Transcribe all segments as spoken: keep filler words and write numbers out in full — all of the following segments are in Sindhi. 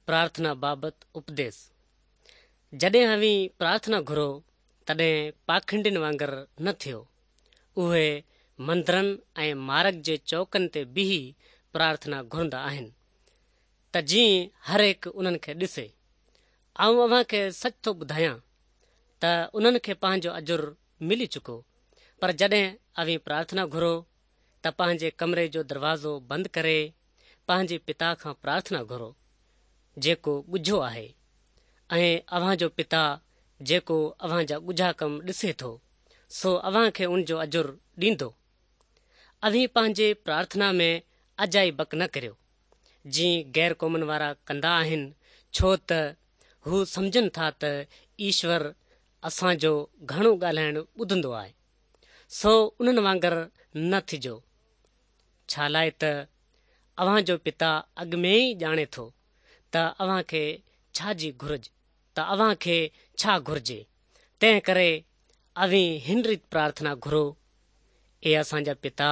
پرارٿنا بابت اپديس. جڏهن اوهين پرارٿنا گهرو، تڏهن پاکنڊين وانگر نه ٿيو. اهي مندرن ۽ مارگ جي چوڪن تي بيهي پرارٿنا گهرندا آهن، ته جيئن هر هڪ انهن کي ڏسي. آئون اوهان کي سچ ٿو ٻڌايان ته انهن کي پنهنجو اجر ملي چڪو. پر جڏهن اوهين پرارٿنا گهرو، ته پنهنجي ڪمري جو دروازو بند ڪري پنهنجي پتا کان پرارٿنا گهرو، جيڪو ڳجهو آهي، ۽ اوهان جو پتا جيڪو اوهان جا ڳجها ڪم ڏسي ٿو، سو اوهان کي ان جو اجر ڏيندو. اوهين پنهنجي پرارٿنا ۾ اجائي بڪ نه ڪريو، جيئن غير قومن وارا ڪندا آهن، ڇو ته هو سمجهن ٿا ته ايشور اسان جو گهڻو ڳالهائڻ ٻڌندو آهي. سو انهن وانگر نه ٿجو، ڇا لاءِ ته اوهان جو پتا اڳ ۾ ئي ڄاڻي ٿو ته اوهان کي ڇا جي گهرج ته اوهان کي ڇا گهرجي. تنهن ڪري اوهين هن ريت پرارٿنا گهرو: اي اسان جا پتا،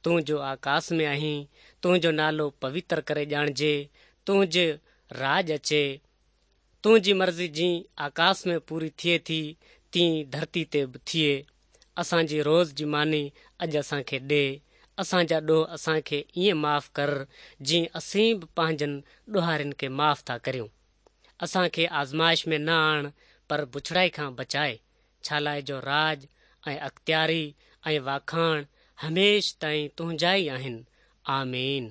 تون جو آڪاس ۾ آهين، تنهنجو نالو پوتر ڪري ڄاڻجي، تنهنجو راڄ اچي، تنهنجي مرضي جيئن آڪاس ۾ پوري ٿئي ٿي، تيئن ڌرتي تي به ٿئي. اسان جي روز جي ماني اڄ اسان کي ڏي. اسان جا ڏوهه اسان کي ائين معاف ڪر، جيئن اسين به پنهنجن ڏوهارين کي معاف ٿا ڪريون. اسان کي آزمائش ۾ نه آڻ، پر بڇڙائي کان بچائي، ڇا لاءِ جو راڄ ۽ اختياري ۽ واکاڻ هميشه تائين تنهنجا ئي آهن. آمين.